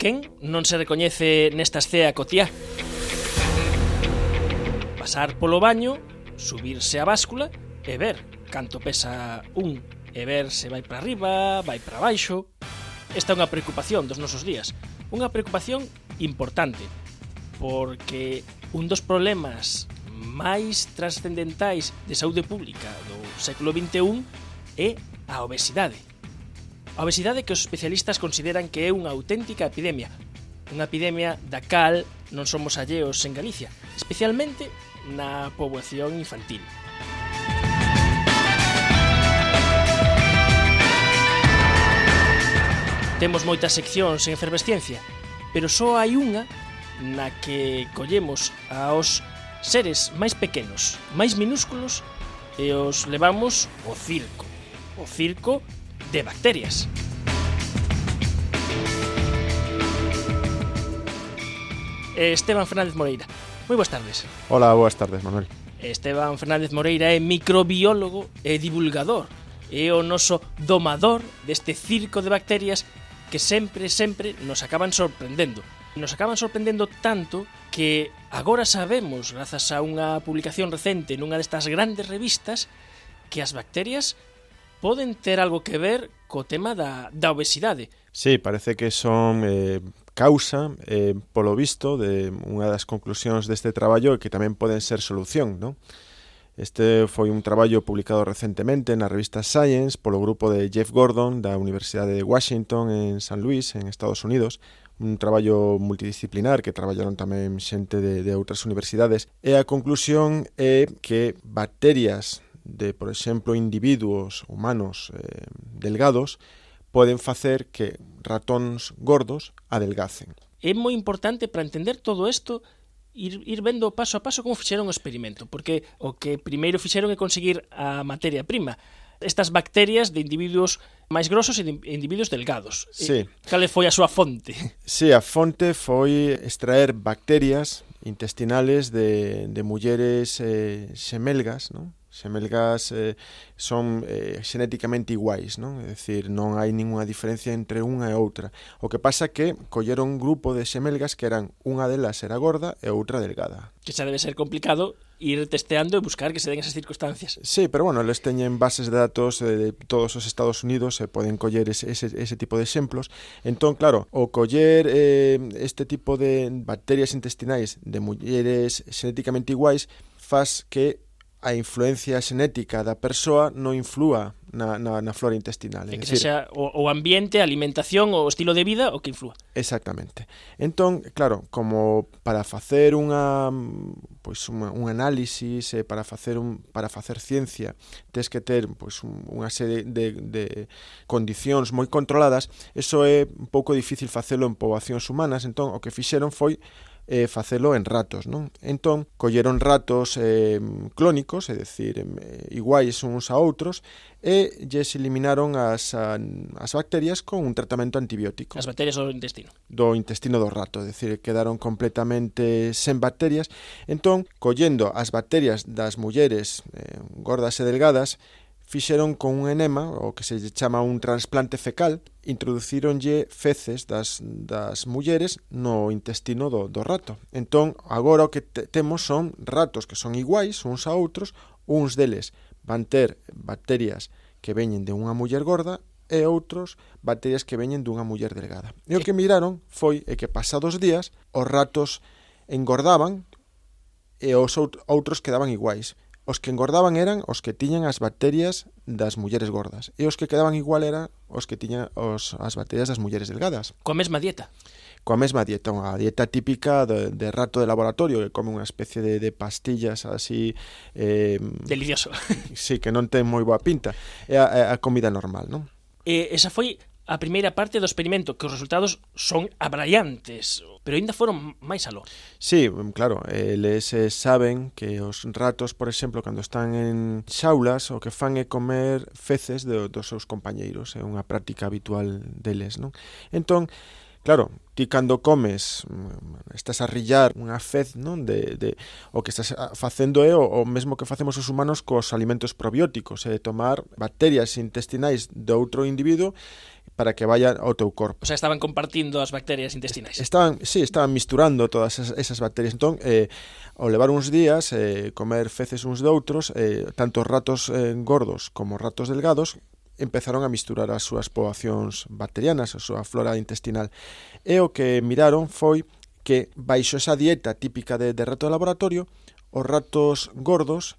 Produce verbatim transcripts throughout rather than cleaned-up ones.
Quen non se recoñece nesta escea cotiá? Pasar polo baño, subirse á báscula e ver canto pesa un, e ver se vai para arriba, vai para baixo. Esta é unha preocupación dos nosos días, unha preocupación importante, porque un dos problemas máis trascendentais de saúde pública do século vinte e un é a obesidade. A obesidade que os especialistas consideran que é unha auténtica epidemia, unha epidemia da cal non somos alleos en Galicia, especialmente na poboación infantil. Temos moitas seccións en efervesciencia, pero só hai unha na que collemos aos seres máis pequenos, máis minúsculos, e os levamos ao circo, o circo de bacterias. Esteban Fernández Moreira, moi boas tardes. Hola, boas tardes, Manuel. Esteban Fernández Moreira é microbiólogo e divulgador, é o noso domador deste circo de bacterias que sempre, sempre nos acaban sorprendendo. Nos acaban sorprendendo tanto que agora sabemos, grazas a unha publicación recente nunha destas grandes revistas, que as bacterias poden ter algo que ver co tema da, da obesidade. Sí, parece que son eh, causa, eh, polo visto, de unha das conclusións deste traballo que tamén poden ser solución, non? Este foi un traballo publicado recentemente na revista Science polo grupo de Jeff Gordon da Universidade de Washington en San Luis, en Estados Unidos, un traballo multidisciplinar que traballaron tamén xente de, de outras universidades, e a conclusión é que bacterias de, por exemplo, individuos humanos eh, delgados poden facer que ratóns gordos adelgacen. É moi importante para entender todo isto ir, ir vendo paso a paso como fixeron o experimento, porque o que primeiro fixeron é conseguir a materia prima, estas bacterias de individuos máis grosos e de individuos delgados. Sí. Cal foi a súa fonte? Sí, a fonte foi extraer bacterias intestinales de, de mulleres eh, xemelgas, non? Xemelgas eh, son eh, xenéticamente iguais, non? É dicir, non hai ningunha diferencia entre unha e outra. O que pasa que colleron un grupo de xemelgas que eran unha delas era gorda e outra delgada. Que xa debe ser complicado ir testeando e buscar que se den esas circunstancias. Sí, pero bueno, eles teñen bases de datos de todos os Estados Unidos e poden coller ese, ese, ese tipo de exemplos. Entón, claro, o coller eh, este tipo de bacterias intestinais de mulleres xenéticamente iguais faz que a influencia xenética da persoa non inflúa na, na, na flora intestinal. É que sexa o, o ambiente, a alimentación, o estilo de vida o que inflúa. Exactamente. Entón, claro, como para facer unha pois unha, un análisis, eh, para facer un para facer ciencia, tes que ter pois un, unha serie de, de condicións moi controladas, eso é un pouco difícil facelo en poboacións humanas, entón o que fixeron foi eh, facelo en ratos, non? Entón, colleron ratos eh, clónicos, é dicir, eh, iguais uns a outros, e lles eliminaron as, a, as bacterias con un tratamento antibiótico. As bacterias do intestino. Do intestino do rato, é dicir, quedaron completamente sen bacterias. Entón, collendo as bacterias das mulleres eh, gordas e delgadas, fixeron con un enema, o que se chama un trasplante fecal, introducíronlle feces das, das mulleres no intestino do, do rato. Entón, agora o que te, temos son ratos que son iguais uns a outros, uns deles van ter bacterias que veñen de unha muller gorda e outros bacterias que veñen dunha muller delgada. E o que miraron foi é que pasados días os ratos engordaban e os outros quedaban iguais. Os que engordaban eran os que tiñan as bacterias das mulleres gordas e os que quedaban igual eran os que tiñan os, as bacterias das mulleres delgadas. Coa mesma dieta? Coa mesma dieta, unha dieta típica de, de rato de laboratorio que come unha especie de, de pastillas así... Eh, Delicioso. Sí, que non ten moi boa pinta. É a, a comida normal, non? E esa foi a primeira parte do experimento, que os resultados son abraiantes, pero ainda foron máis aló. Sí, claro, eles eh, saben que os ratos, por exemplo, cando están en xaulas, o que fan é comer feces de, dos seus compañeiros, é unha práctica habitual deles, non? Entón, claro, ti cando comes estás a rillar unha fez, non? De, de, o que estás facendo é o, o mesmo que facemos os humanos cos alimentos probióticos, é tomar bacterias intestinais de outro individuo para que vaya ao teu corpo. O sea, estaban compartindo as bacterias intestinais. Estaban, sí, estaban misturando todas esas, esas bacterias. Entón, eh, ao levar uns días, eh, comer feces uns de outros, eh, tanto ratos eh, gordos como ratos delgados, empezaron a misturar as súas poboacións bacterianas, a súa flora intestinal. E o que miraron foi que, baixo esa dieta típica de, de rato de laboratorio, os ratos gordos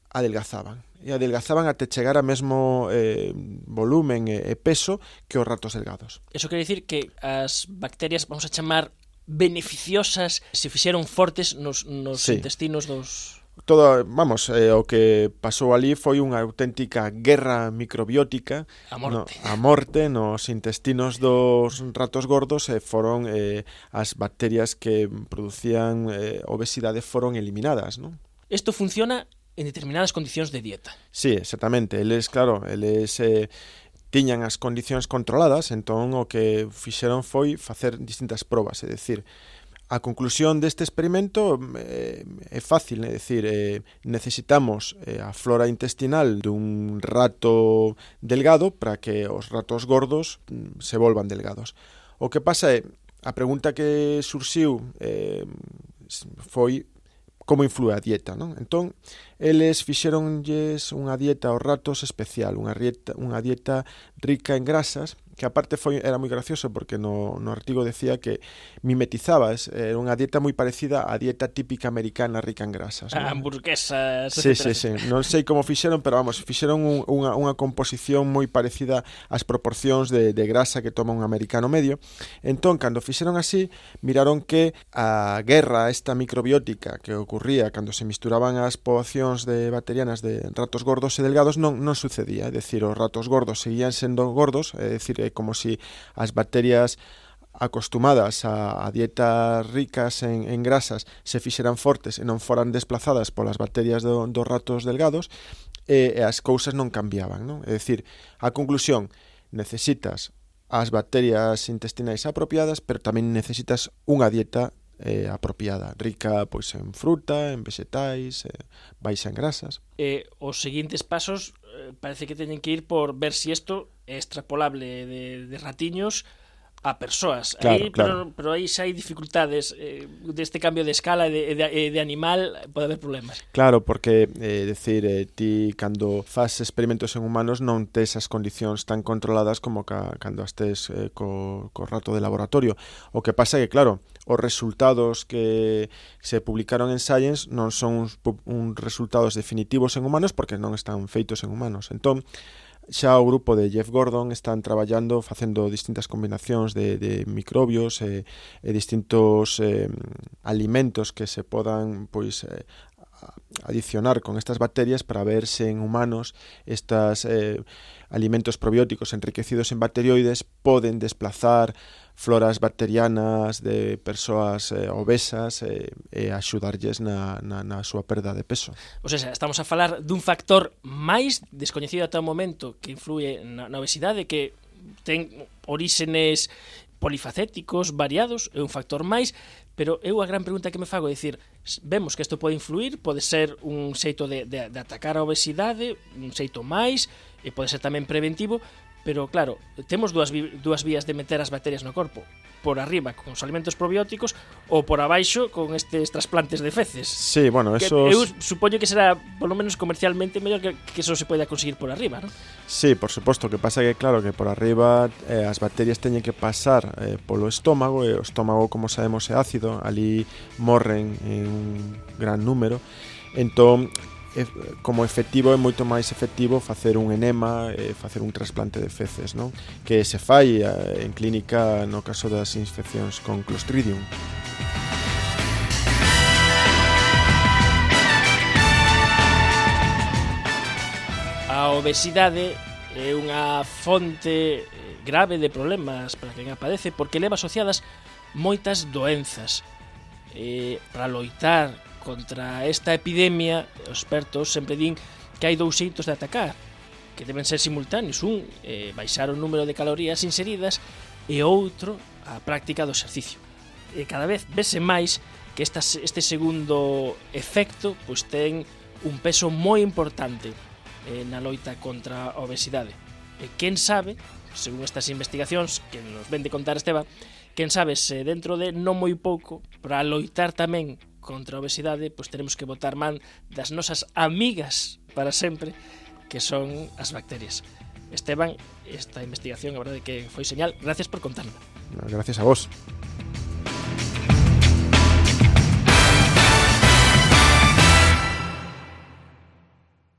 adelgazaban. E adelgazaban até chegar a mesmo eh, volumen e, e peso que os ratos delgados. Eso quere dicir que as bacterias, vamos a chamar, beneficiosas, se fixeron fortes nos, nos sí. intestinos dos... Todo, vamos, eh, o que pasou ali foi unha auténtica guerra microbiótica a morte, no, a morte nos intestinos dos ratos gordos e foron eh, as bacterias que producían eh, obesidade foron eliminadas, non? Isto funciona en determinadas condicións de dieta. Sí, exactamente. Eles, claro, eles eh, tiñan as condicións controladas, entón o que fixeron foi facer distintas probas, é dicir, a conclusión deste experimento eh, é fácil, é dicir, eh, necesitamos eh, a flora intestinal dun rato delgado para que os ratos gordos mm, se volvan delgados. O que pasa é, a pregunta que surxiu eh, foi como influe a dieta, non? Entón, eles fixeronlles unha dieta aos ratos especial, unha dieta, unha dieta rica en grasas, que aparte foi era moi gracioso porque no, no artigo decía que mimetizaba, era unha dieta moi parecida á dieta típica americana rica en grasas, non? Hamburguesas, sí, sí, sí. Non sei como fixeron, pero vamos, fixeron un, unha, unha composición moi parecida ás proporcións de, de grasa que toma un americano medio. Entón, cando fixeron así, miraron que a guerra esta microbiótica que ocurría cando se misturaban as poboacións de bacterianas de ratos gordos e delgados non, non sucedía, é dicir, os ratos gordos seguían sendo gordos, é dicir, é como si as bacterias acostumadas a, a dietas ricas en, en grasas se fixeran fortes e non foran desplazadas polas bacterias do, dos ratos delgados e, e as cousas non cambiaban, non? É dicir, a conclusión, necesitas as bacterias intestinais apropiadas, pero tamén necesitas unha dieta eh, apropiada, rica pois en fruta, en vegetais, eh, baixa en grasas. Eh, os seguintes pasos eh, parece que teñen que ir por ver si isto é extrapolable de, de ratiños a persoas. Claro, aí, claro. Pero, pero aí xa hai dificultades eh, deste cambio de escala e de, de, de animal, pode haber problemas. Claro, porque, eh, decir, eh, ti cando faz experimentos en humanos non tes as condicións tan controladas como ca, cando estés eh, co, co rato de laboratorio. O que pasa é que, claro, os resultados que se publicaron en Science non son uns, uns resultados definitivos en humanos porque non están feitos en humanos. Entón, xa o grupo de Jeff Gordon están traballando facendo distintas combinacións de, de microbios e, e distintos eh, alimentos que se podan pois eh, adicionar con estas bacterias para ver se en humanos estas eh, alimentos probióticos enriquecidos en bacterioides poden desplazar floras bacterianas de persoas eh, obesas eh, e axudarlles na, na, na súa perda de peso. O sea, estamos a falar dun factor máis descoñecido ata o momento que influye na, na obesidade, que ten oríxenes polifacéticos, variados, é un factor máis, pero eu a gran pregunta que me fago é dicir, vemos que isto pode influir, pode ser un xeito de, de, de atacar a obesidade, un xeito máis, e pode ser tamén preventivo, pero claro, temos dúas, dúas vías de meter as bacterias no corpo, por arriba con os alimentos probióticos ou por abaixo con estes trasplantes de feces. Sí, bueno, esos... Eu supoño que será, polo menos comercialmente, mellor que, que eso se poida conseguir por arriba, non? Sí, por suposto, que pasa que claro que por arriba eh, as bacterias teñen que pasar eh, polo estómago, e o estómago, como sabemos, é ácido, ali morren en un gran número, entón como efectivo é moito máis efectivo facer un enema e facer un trasplante de feces, non? Que se fai en clínica no caso das infeccións con Clostridium. A obesidade é unha fonte grave de problemas para quen a padece porque leva asociadas moitas doenzas. E para loitar contra esta epidemia, os expertos sempre din que hai dous xeitos de atacar, que deben ser simultáneos. Un, eh, baixar o número de calorías inseridas, e outro a práctica do exercicio. E cada vez vese máis que esta, este segundo efecto pois ten un peso moi importante eh, na loita contra a obesidade. E quen sabe, según estas investigacións que nos ven de contar Esteban, quen sabe se dentro de non moi pouco, para loitar tamén contra a obesidade, pois teremos que botar man das nosas amigas para sempre, que son as bacterias. Esteban, esta investigación, a verdade que foi señal. Gracias por contarnos. Gracias a vos.